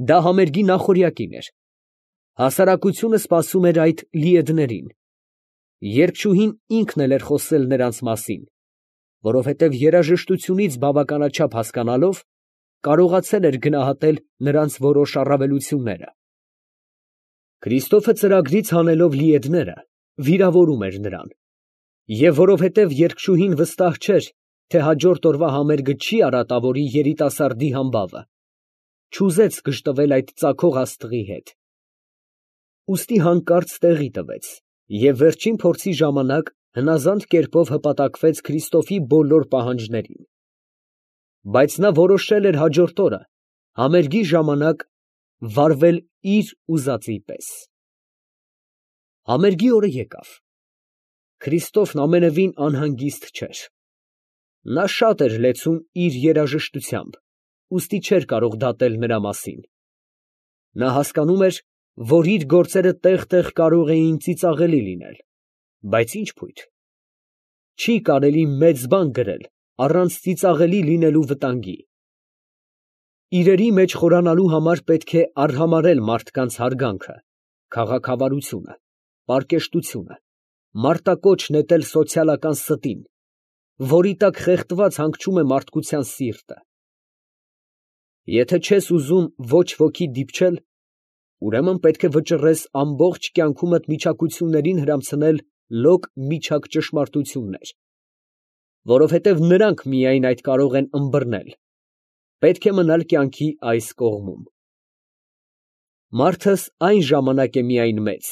Դա համերգի նախօրյակին էր։ Հասարակությունը սպասում էր այդ լիեդներին։ Երգչուհին ինքն էլ էր խոսել նրանց մասին, որովհետև երաժշտությունից բավականաչափ հասկանալով, կարողացել էր գնահատել նրանց որոշ առավելությունները։ Քրիստոֆը ծրագրից հանելով լիեդները, վիրավորում էր նրան, և որովհետև երգչուհին վստահ չէր, թե հաջորդ օրվա համերգը չի արատավորի երիտասարդի համբավը, չուզեց գժտվել այդ ծագող աստղի հետ։ Ուստի հանկարծ տեղի տվեց, և վերջին փորձի ժամանակ հնազանդ կերպով հպատակվեց Քրիստոֆի բոլոր պահանջներին։ Բայց նա որոշել էր հաջորդ օրը, համերգի ժամանակ, վարվել իր ուզածի պես։ Համերգի օրը եկավ։ Քրիստոֆն ամենևին անհանգիստ չէր։ Նա շատ էր լեցուն իր երաժշտությամբ, ուստի չէր կարող դատել նրա մասին։ Նա հասկանում էր, որ իր գործերը տեղ֊տեղ կարող էին ծիծաղելի լինել, բայց ինչ փույթ։ Չի կարելի մեծ բան գրել առանց ծիծաղելի լինելու վտանգի։ Իրերի մեջ խորանալու համար պետք է արհամարհել մարդկանց հարգանքը, քաղաքավարությունը, պարկեշտությունը, մարտակոչ նետել սոցիալական ստին, որի տակ խեղդված հանգչում է մարդկության սիրտը։ Եթե չես ուզում ոչ ոքի դիպչել, ուրեմն պետք է վճռես ամբողջ կյանքումդ միջակություններին հրամցնել լոկ միջակ ճշմարտություններ, որովհետև նրանք միայն այդ կարող են ըմբռնել, պետք է մնալ կյանքի այս կողմում։ Մարդս այն ժամանակ է միայն մեծ,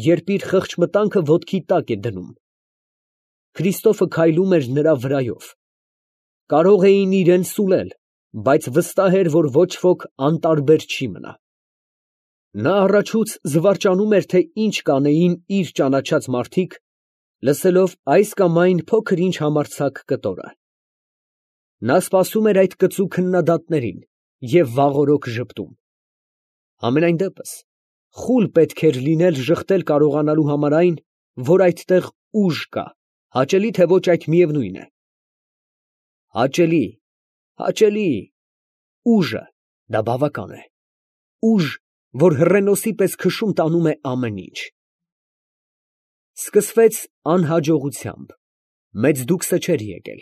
երբ իր խղճմտանքը ոտքի տակ է դնում։ Քրիստոֆը քայլում էր նրա վրայով։ Կարող էին իրան սուլել, բայց վստահ էր, որ ոչ ոք անտարբեր չի մնա։ Նա առաջուց զվարճանում էր, թե ինչ կանեին իր ճանաչած մարդիկ, լսելով այս կամ այն փոքր-ինչ համարձակ կտորը։ Նա սպասում էր այդ կծու քննադատներին և վաղօրոք ժպտում։ Համենայն դեպս, խուլ պետք էր լինել ժխտել կարողանալու համար այն, որ այդտեղ ուժ կա, հաճելի թե ոչ այդ միևնույն է։ Հաճելի, հաճելի, ուժը, դա բավական է, ուժ, որ հռենոսի պես քշում տանում է ամեն ինչ։ Սկսվեց անհաջողությամբ, մեծ դուքսը չէր եկել։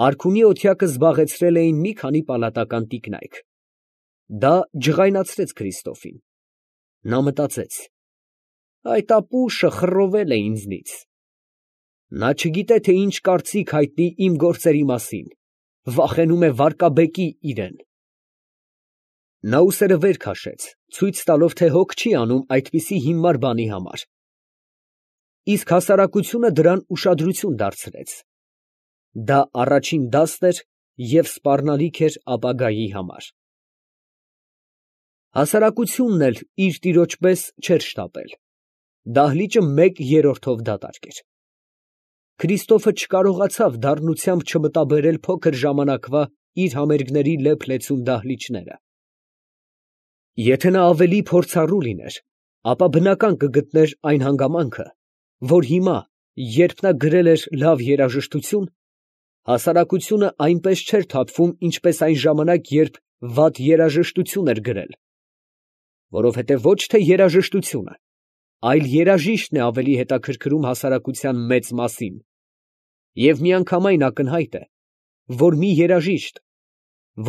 Արքունի օթյակը զբաղեցրել էին մի քանի պալատական տիկնայք։ Դա ջղայնացրեց Քրիստոֆին։ Նա մտածեց. այդ ապուշը խռովել է ինձնից։ Նա չգիտե, թե ինչ կարծիք հայտնի իմ գործերի մասին, վախենում է վարկաբեկի իրեն։ Նա ուսերը վեր քաշեց, ցույց տալով, թե հոգ չի անում այդպիսի հիմար բանի համար։ Իսկ հասարակությունը դրան ուշադրություն դարձրեց։ Դա առաջին դասն էր և սպառնալիք էր ապագայի համար։ Հասարակությունն էլ իր տիրոջ պես չէր շտապել։ Դահլիճը 1/3-ով դատարկ էր։ Քրիստոֆը չկարողացավ դառնությամբ չմտաբերել փոքր ժամանակվա իր համերգների լեփ֊լեցուն դահլիճները։ Եթե նա ավելի փորձառու լիներ, ապա բնական կգտներ այն հանգամանքը, որ հիմա, երբ նա գրել էր լավ երաժշտություն, հասարակությունը այնպես չէր թափվում, ինչպես այն ժամանակ, երբ վատ երաժշտություն էր գրել, որովհետև ոչ թե երաժշտությունը, այլ երաժիշտն է ավելի հետաքրքրում հասարակության մեծ մասին, և միանգամայն ակնհայտ է, որ մի երաժիշտ,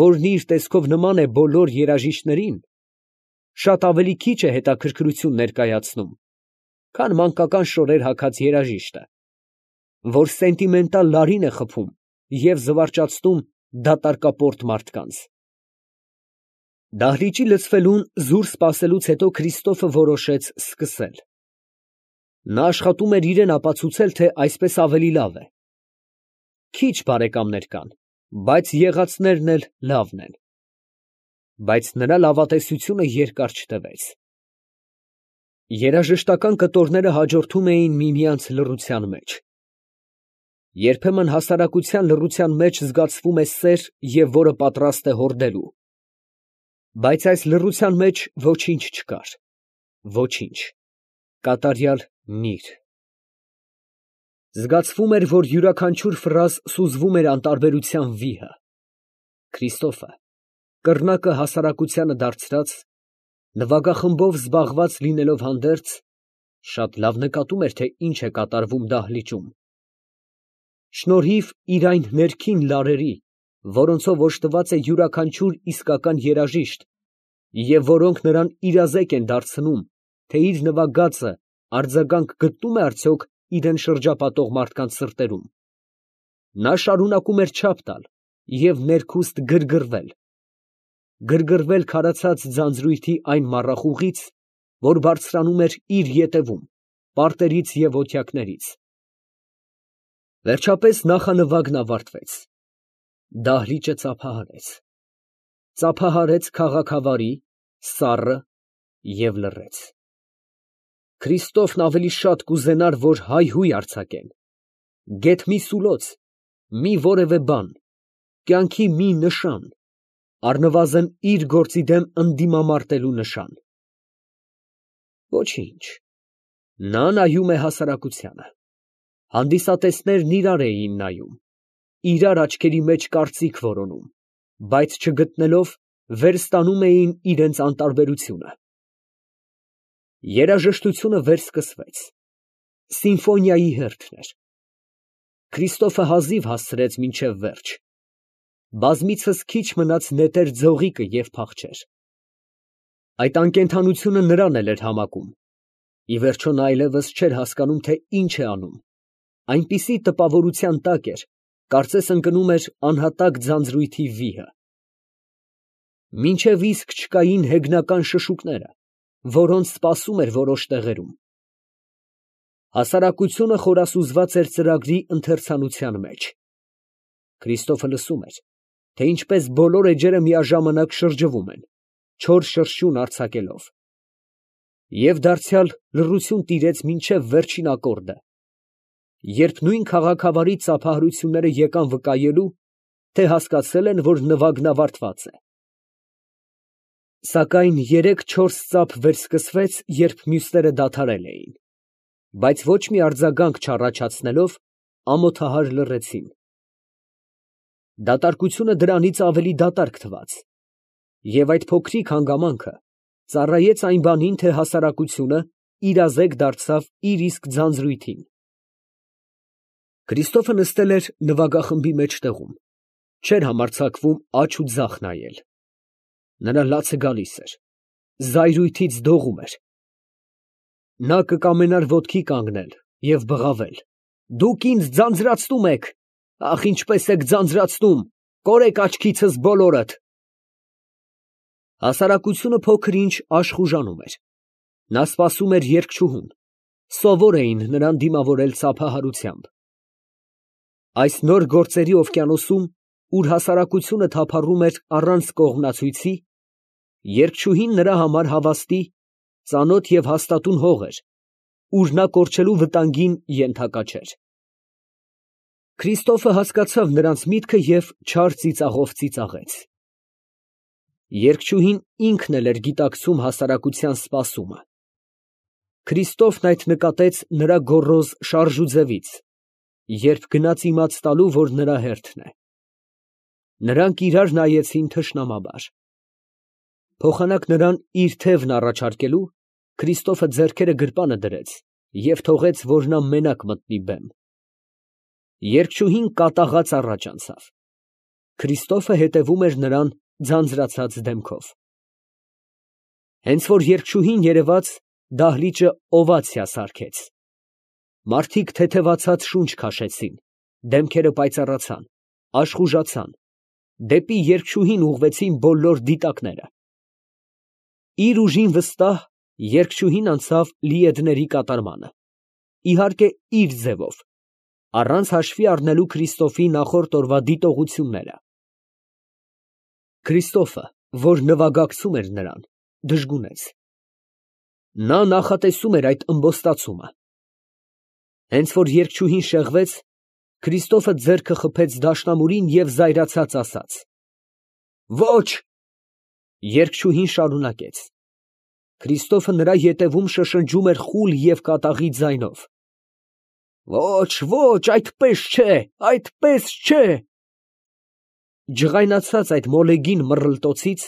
որն իր տեսքով նման է բոլոր երաժիշտներին, շատ ավելի քիչ է հետաքրքրություն ներկայացնում, քան մանկական շորեր հագած երաժիշտը, որ սենտիմենտալ լարին է խփում և զվարճացնում դատարկապորտ մարդկանց։ Դահլիճի լցվելուն զուր սպասելուց հետո Քրիստոֆը որոշեց սկսել։ Նա աշխատում էր իրան ապացուցել, թե այսպես ավելի լավ է։ Քիչ բարեկամներ կան, բայց եղածներն էլ լավն են։ Բայց նրա լավատեսությունը երկար չտևեց։ Երաժշտական կտորները հաջորդում էին միմյանց լռության մեջ։ Երբեմն հասարակության լռության մեջ զգացվում է սեր և որը պատրաստ է հորդելու։ Բայց այս լռության մեջ ոչինչ չկար, ոչինչ, կատարյալ նիր։ Զգացվում էր, որ յուրաքանչյուր ֆրազ սուզվում էր անտարբերության վիհը։ Քրիստոֆը կռնակը հասարակությանը դարձրած, նվագախմբով զբաղված լինելով հանդերձ, շատ լավ նկատում էր, թե ինչ է կատարվում դահլիճում. շնորհիվ իր այն ներքին լարերի, որոնցով օժտված է յուրաքանչյուր իսկական երաժիշտ, և որոնք նրան իրազեկ են դարձնում, թե իր նվագածը արձագանք գտնում է արդյոք իրան շրջապատող մարդկանց սրտերում, նա շարունակում էր չափ տալ և ներքուստ գրգռվել քարացած ձանձրույթի այն մառախուղից, որ բարձրանում էր իր ետևում, պարտերից և ոտյակներից։ Վերջապես նախանվագն ավարտվեց, դահլիճը ծափահարեց քաղաքավարի, սառը և լռեց։ Քրիստոֆն ավելի շատ կուզենար, որ հայհույը արձակեն, գեթ մի սուլոց, մի որևէ բան, կյանքի մի նշան, առնվազն իր գործի դեմ ընդդիմամարտելու նշան։ Ոչինչ, նա նայում է հասարակությանը, հանդիսատեսներն իրար էին նայում, իրար աչքերի մեջ կարծիք որոնում, բայց չգտնելով, վերստանում էին իրենց անտարբերությունը։ Երաժշտությունը վերսկսվեց, սիմֆոնիայի հերթն էր։ Քրիստոֆը հազիվ հասցրեց մինչև վերջ, բազմիցս քիչ մնաց նետեր ձողիկը և փախչեր։ Այդ անկենդանությունը նրան էլ էր համակում, ի վերջո նա այլևս չէր հասկանում, թե ինչ է անում, այնպիսի տպավորության տակ էր, կարծես ընկնում էր անհատակ ձանձրույթի վիհը։ Մինչև իսկ չկային հեգնական շշուկները, որոնց սպասում էր որոշ տեղերում։ Հասարակությունը խորասուզված էր ծրագրի ընթերցանության մեջ։ Քրիստոֆը լսում էր, թե ինչպես բոլոր էջերը միաժամանակ շրջվում են, չոր շրշյուն արձակելով։ Եվ դարձյալ լռություն տիրեց մինչև վերջին ակորդը, երբ նույն քաղաքավարի ծափահարությունները եկան վկայելու, թե հասկացել են, որ նվագն ավարտված է։ Սակայն երեք֊չորս ծափ վերսկսվեց, երբ մյուսները դադարել էին, բայց ոչ մի արձագանք չառաջացնելով, ամոթահար լռեցին։ Դատարկությունը դրանից ավելի դատարկ թվաց, և այդ փոքրիկ հանգամանքը ծառայեց այն բանին, թե հասարակությունը իրազեկ դարձավ իր իսկ ձանձրույթին։ Քրիստոֆը նստել էր նվագախմբի մեջտեղում, չէր համարձակվում աջ ու ձախ նայել։ Նրա լացը գալիս էր, զայրույթից դողում էր։ Նա կկամենար ոտքի կանգնել և բղավել. «Դուք ինձ ձանձրացնում եք, ախ, ինչպես եք ձանձրացնում, կորեք աչքիցս բոլորդ»։ Հասարակությունը փոքր֊ինչ աշխուժանում էր։ Նա սպասում էր երգչուհուն, սովոր էին նրան դիմավորել ծափահարությամբ։ Այս նոր գործերի օվկիանոսում, ուր հասարակությունը թափառում էր առանց կողմնացույցի, երգչուհին նրա համար հավաստի, ծանոթ և հաստատուն հող էր, ուր նա կորչելու վտանգին ենթակա չէր։ Քրիստոֆը հասկացավ նրանց միտքը և չար ծիծաղով ծիծաղեց։ Երգչուհին ինքն էլ էր գիտակցում հասարակության սպասումը։ Քրիստոֆն այդ նկատեց նրա գոռոզ շարժուձևից, երբ գնաց իմաց տալու, որ նրա հերթն է։ Նրանք իրար նայեցին թշնամաբար։ Փոխանակ նրան իր թևն առաջարկելու, Քրիստոֆը ձեռքերը գրպանը դրեց և թողեց, որ նա մենակ մտնի բեմ։ Երգչուհին կատաղած առաջ անցավ։ Քրիստոֆը հետևում էր նրան ձանձրացած դեմքով։ Հենց որ երգչուհին երևաց, դահլիճը օվացիա սարքեց։ Մարդիկ թեթևացած շունչ քաշեցին, դեմքերը պայծառացան, աշխուժացան, դեպի երգչուհին ուղղվեցին բոլոր դիտակները։ Իր ուժին վստահ, երգչուհին անցավ լիեդների կատարմանը, իհարկե իր ձևով, առանց հաշվի առնելու Քրիստոֆի նախորդ օրվա դիտողությունները։ Քրիստոֆը, որ նվագակցում էր նրան, դժգունեց։ Նա նախատեսում էր այդ ըմբոստացումը։ Հենց որ երգչուհին շեղվեց, Քրիստոֆը ձեռքը խփեց դաշնամուրին և զայրացած ասաց. «Ոչ»։ Երգչուհին շարունակեց։ Քրիստոֆը նրա ետևում շշնջում էր խուլ և կատաղի ձայնով. «Ոչ, ոչ, այդպես չէ, այդպես չէ»։ ջղայնացած այդ մոլեգին մռլտոցից,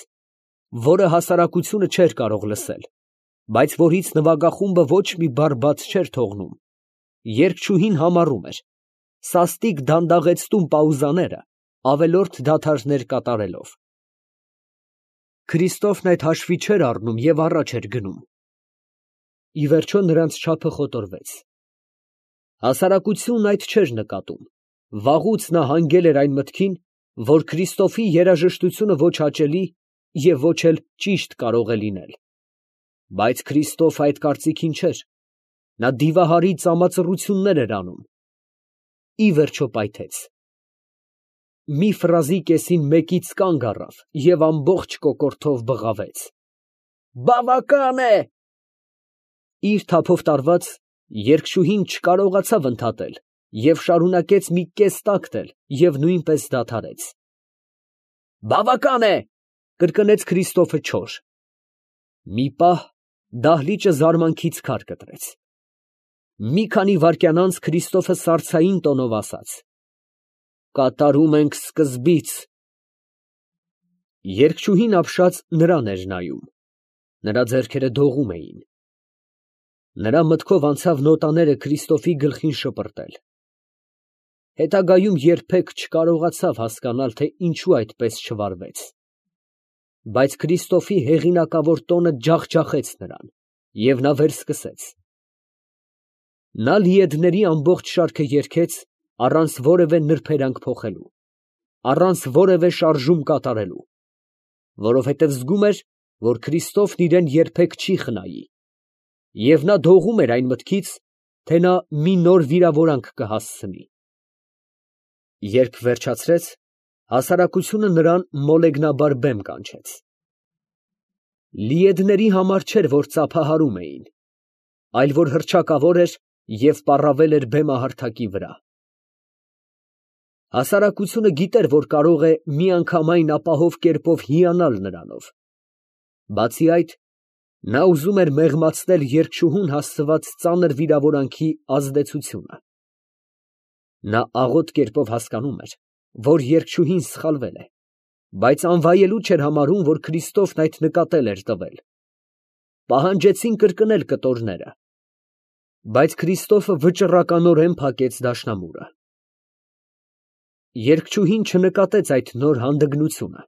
որը հասարակությունը չէր կարող լսել, բայց որից նվագախումբը ոչ մի բառ բաց չէր թողնում, երգչուհին համառում էր, սաստիկ դանդաղեցնում պաուզաները, ավելորդ դադարներ կատարելով։ Քրիստոֆն այդ հաշվի չէր առնում և առաջ էր գնում։ Ի վերջո նրանց չափը խոտորվեց։ Հասարակությունն այդ չէր նկատում, վաղուց նա հանգել էր այն մտքին, որ Քրիստոֆի երաժշտությունը ոչ հաճելի և ոչ էլ ճիշտ կարող է լինել։ Բայց Քրիստոֆը այդ կարծիքին չէր, նա դիվահարի ծամածռություններ էր անում։ Ի վերջո պայթեց։ Մի ֆրազի կեսին մեկից կանգ առավ և ամբողջ կոկորդով բղավեց. «Բավական է»։ Իր թափով տարված, երգչուհին չկարողացավ ընդհատել և շարունակեց մի կես տակտ էլ և նույնպես դադարեց։ «Բավական է», կրկնեց Քրիստոֆը չոր։ Մի պահ դահլիճը զարմանքից քար կտրեց։ Մի քանի վայրկյան անց Քրիստոֆը սառցային տոնով ասաց. «Կատարում ենք սկզբից»։ Երգչուհին ապշած նրան էր նայում, նրա ձեռքերը դողում էին։ Նրա մտքով անցավ նոտաները Քրիստոֆի գլխին շպրտել։ Հետագայում երբեք չկարողացավ հասկանալ, թե ինչու այդպես չվարվեց։ Բայց Քրիստոֆի հեղինակավոր տոնը ջախջախեց նրան, և նա վերսկսեց։ Նա լիեդների ամբողջ շարքը երգեց առանց որևէ նրբերանգ փոխելու, առանց որևէ շարժում կատարելու, որովհետև զգում էր, որ Քրիստոֆն իրան երբեք չի խնայի, և նա դողում էր այն մտքից, թե նա մի նոր վիրավորանք կհասցնի։ Երբ վերջացրեց, հասարակությունը նրան մոլեգնաբար բեմ կանչեց։ Լիեդների համար չէր, որ ծափահարում էին, այլ որ հռչակավոր էր և պառավել էր բեմահարթակի վրա։ Հասարակությունը գիտեր, որ կարող է միանգամայն ապահով կերպով հիանալ նրանով։ Բացի այդ, նա ուզում էր մեղմացնել երգչուհուն հասցված ծանր վիրավորանքի ազդեցությունը։ Նա աղոտ կերպով հասկանում էր, որ երգչուհին սխալվել է, բայց անվայելու չէր համարում, որ Քրիստոֆն այդ նկատել էր տվել։ Պահանջեցին կրկնել կտորները, բայց Քրիստոֆը վճռականորեն փակեց դաշնամուրը։ Երգչուհին չնկատեց այդ նոր հանդգնությունը։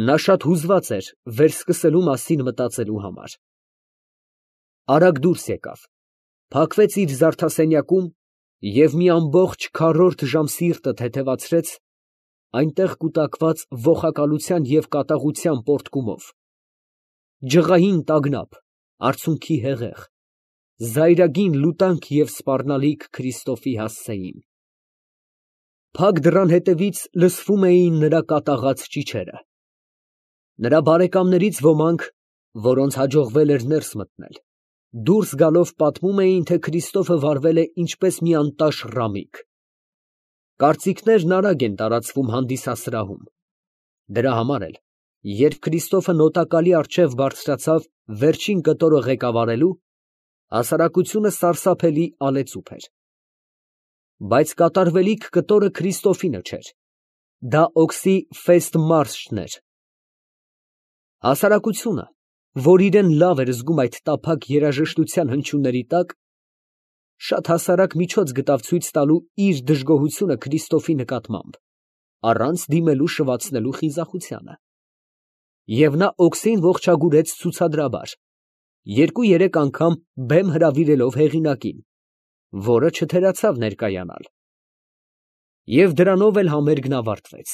Նա շատ հուզված էր վերսկսելու մասին մտածելու համար։ Արագ դուրս եկավ, փակվեց իր զարդասենյակում և մի ամբողջ քառորդ ժամ սիրտը թեթևացրեց այնտեղ կուտակված ոխակալության և կատաղության պոռթկումով, ջղային տագնապ, արցունքի հեղեղ, զայրագին լուտանք և սպառնալիք Քրիստոֆի հասցեին։ Փակ դռան հետևից լսվում էին նրա կատաղած ճիչերը։ Նրա բարեկամներից ոմանք, որոնց հաջողվել էր ներս մտնել, դուրս գալով պատմում էին, թե Քրիստոֆը վարվել է ինչպես մի անտաշ ռամիկ։ Կարծիքներն արագ են տարածվում հանդիսասրահում։ Դրա համար էլ, երբ Քրիստոֆը նոտակալի առջև բարձրացավ վերջին կտորը ղեկավարելու, հասարակությունը սարսափելի ալեցուփ էր։ Բայց կատարվելիք կտորը Քրիստոֆինը չէր, դա օքսի ֆեստ մարշն էր։ Հասարակությունը, որ իրեն լավ էր զգում այդ տափակ երաժշտության հնչյունների տակ, շատ հասարակ միջոց գտավ ցույց տալու իր դժգոհությունը Քրիստոֆի նկատմամբ, առանց դիմելու շվացնելու խիզախությանը։ Եվ նա օքսին ողջագուրեց ցուցադրաբար, 2-3 անգամ բեմ հրավիրելով հեղինակին, որը չթերացավ ներկայանալ։ Եվ դրանով էլ համերգն ավարտվեց։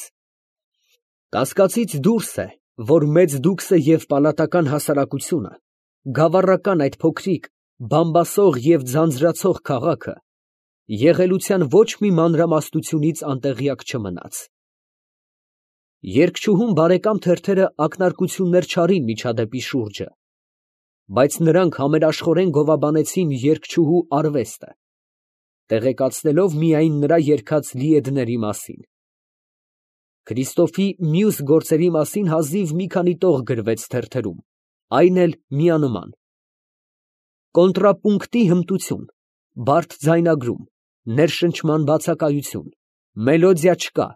Կասկածից դուրս է, որ մեծ դուքսը և պալատական հասարակությունը, գավառական այդ փոքրիկ, բամբասող և ձանձրացող քաղաքը եղելության ոչ մի մանրամասնությունից անտեղյակ չմնաց։ Երգչուհուն բարեկամ թերթերը ակնարկություններ չարին միջադեպի շուրջը, բայց նրանք համերաշխորեն գովաբանեցին երգչուհու արվեստը, տեղեկացնելով միայն նրա երգած լիեդների մասին։ Քրիստոֆի մյուս գործերի մասին հազիվ մի քանի տող գրվեց թերթերում, այն էլ միանման. կոնտրապունկտի հմտություն, բարդ ձայնագրում, ներշնչման բացակայություն, մելոդիա չկա,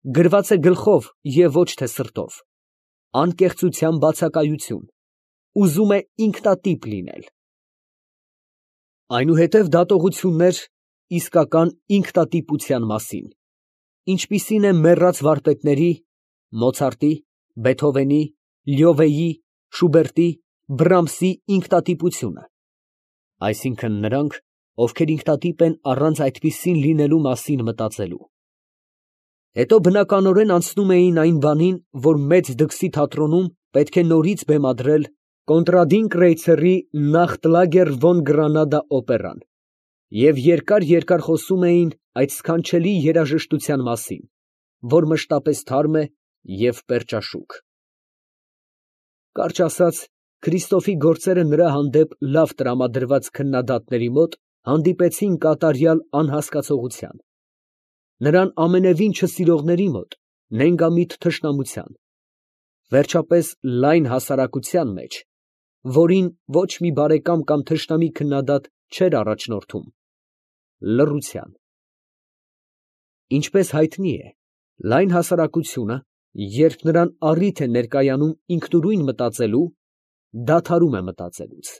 գրված է գլխով և ոչ թե սրտով, անկեղծության բացակայություն, ուզում է ինքնատիպ լինել։ Այնուհետև դատողություններ իսկական ինքնատիպության մասին, ինչպիսին է մեռած վարպետների Մոցարտի, Բեթհովենի, Լյովեի, Շուբերտի, Բրամսի ինքնատիպությունը, այսինքն նրանք, ովքեր ինքնատիպ են առանց այդպիսին լինելու մասին մտածելու։ Հետո բնականորեն անցնում էին այն բանին, որ մեծ դքսի թատրոնում պետք է նորից բեմադրել Կոնրադին Կրեյցերի «Նախտլագեր ֆոն Գրանադա» օպերան, և երկար խոսում էին այդ սքանչելի երաժշտության մասին, որ մշտապես թարմ է և պերճաշուք։ Կարճ ասած, Քրիստոֆի գործերը նրա հանդեպ լավ տրամադրված քննադատների մոտ հանդիպեցին կատարյալ անհասկացողության, նրան ամենևին չսիրողների մոտ նենգամիտ թշնամության, վերջապես լայն հասարակության մեջ, որին ոչ մի բարեկամ կամ թշնամի քննադատ չէր առաջնորդում, լռության։ Ինչպես հայտնի է, լայն հասարակությունը, երբ նրան առիթ է ներկայանում ինքնուրույն մտածելու, դադարում է մտածելուց։